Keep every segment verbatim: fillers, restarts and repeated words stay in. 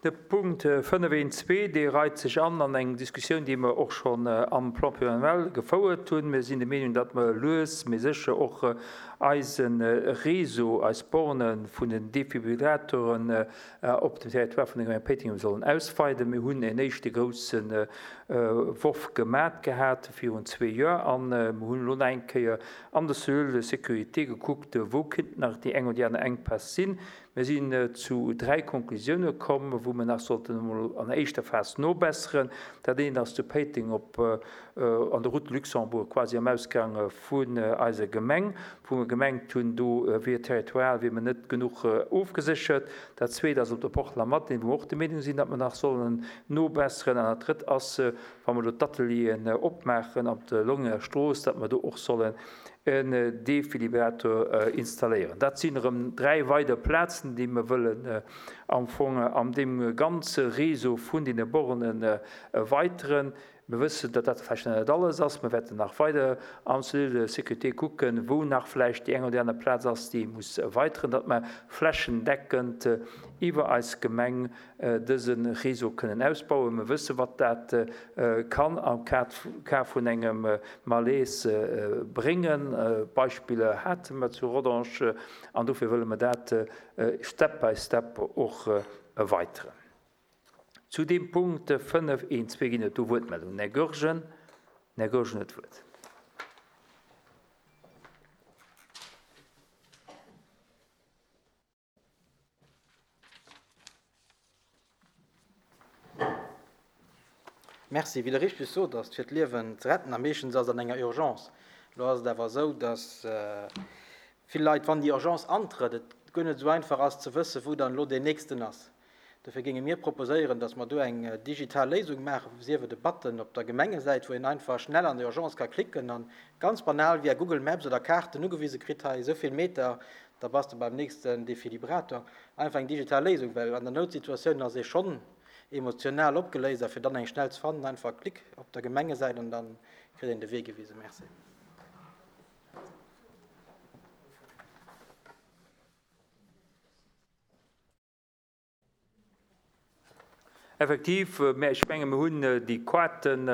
De Punkt fënnef eent zwee, dee reit sech an an eng Diskussioun, déi mer och schonn am Plan pluriannuel gefouert hunn. Mir sinn der Meenung, datt mer lues mee sécher och eise Réseau, eis Borne vun den Defibrillatoren op dem Territoire vun der Gemeng Péiteng sollen ausweiden. Mir hunn en éischte grousse Worf gemat gehat virun zwee Joer a mir hunn elo nach eng Kéier an der Cellule de sécurité gekuckt, wou kéinten nach déi eng oder déi aner Enkpäss sinn. Mir sinn zu dräi Konklusioune komm, wou mir nach sollten emol an der éischter Phas nobesseren. Dat eent ass zu Péiteng op an der Route de Luxembourg, quasi am Ausgang vun eiser Gemeng, wou mir gemengt hunn, do wier territorial wier mir net genuch ofgeséchert. Dat zweet ass op der Porte Lamartine, wou mir och der Meenung sinn, datt mir nach sollen nobesseren. An dat drëtt ass, wa mir elo d'Atelieren opmaachen op der Longenger Strooss, datt mir do och sollen en Defibrillator installéieren. Dat sinn erëm dräi weider Plazen, déi mir wëllen am Fong an deem ganze Réseau vun deene Bornen erweiteren. Mir wëssen, datt dat vläicht nach net alles ass. Mir wäerten nach weider am Cellule de sécurité kucken, wou nach vläicht déi eng oder déi aner Plaz ass, déi ee muss erweiteren, datt mer flächendeckend iwwer eis Gemeng dëse Réseau kënnen ausbauen. Mir wëssen, wat dat kann am Cas vun engem Malaise bréngen. Beispiller hate mer zu Rodange an dofir wëlle mer dat step by step och erweiteren. Zu deem Punkt fënnef eent zwee ginn et do Wuertmeldungen. Den Här Goergen. Den Här Goergen huet d'Wuert. Merci. Wéi Der richteg sot, ass et fir d'Liewen ze retten a meeschtens ass et an enger Urgence. Elo ass et awer esou, dass vill Leit, wann déi Urgence antrëtt, et guer net esou einfach ass ze wëssen, wou dann elo deen nächsten ass. Dofir géinge mir proposéieren, dass mer do eng digital Léisung maachen, sief et e Button op der Gemengesäit, wou een einfach schnell an der Urgence ka klicken an ganz banal via Google Maps oder Kaarten ugewise kritt, hei esou vill Meter, da bass de beim nächsten Defibrillator. Einfach eng digital Léisung, well an der Noutsituatioun ass ee schonn emotional opgeléist a fir dann eng schnell ze fannen, einfach Klick op der Gemengesäit an da kritt een de Wee gewisen. Merci. Effektiv, mä ech menge mir hunn déi Quoten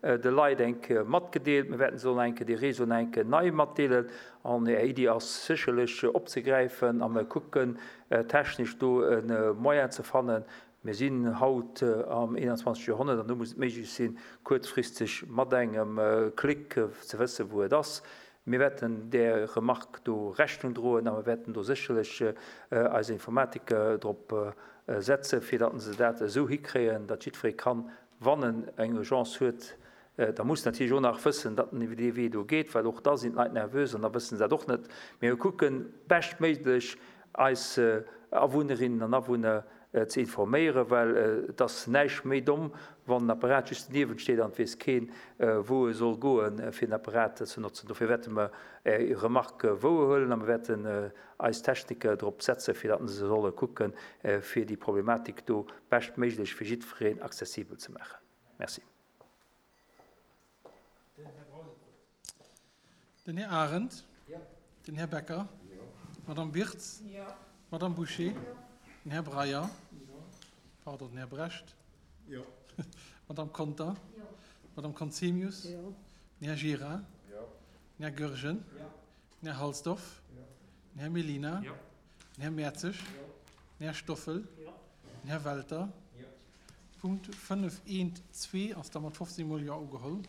de Leit eng Kéier matgedeelt. Mir wäerten se och nach eng Kéier, déi Réseau nach eng Kéier nei matdeelen. An Är Iddi ass sécherlech opzegräifen a mir kucken technesch do e Moyen ze fannen. Mir sinn haut am einundzwanzeg Joerhonnert an do muss et méiglech sinn, kuerzfristeg mat engem Klick ze wëssen, wou et ass. Mir wäerten där Remarque do Rechnung droen a mir wäerten do sécherlech eis Informatiker drop setzen, fir datt se dat esou hikréien, datt jiddweree kann, wann en eng Urgence huet, da muss natierlech och nach wëssen, datt en iwwer dee Wee do geet, well och da sinn d'Leit nervös an da wësse se dat och net. Mee mir kucken, beschtméiglech eis Awunnerinnen an Awunner ze informéieren, well et ass näischt méi domm, wann en Apparat just doniewent steet an et weess keen, wou e soll goen, fir den Apparat ze notzen. Dofir wäerte mer Är Remarque wouerhuelen a mer wäerten eis Techniker drop setzen, fir datt se solle kucken, fir déi Problematik do beschtméiglech fir jiddwereen accessibel ze maachen. Merci. Den Här Arendt. Den Här Becker. D'Madame Wirtz. D'Madame Bouché. Den Här Breyer. Pardon, den Här Brecht. D'Madame Conter. D'Madame Conzemius. Den Här Gira. Den Här Goergen. Den Här Halsdorf. Den Här Mellina. Den Här Mertzig. Den Här Stoffel. Den Här Welter. Punkt fënnef eent zwee ass da mat fofzéng Mol Jo ugeholl.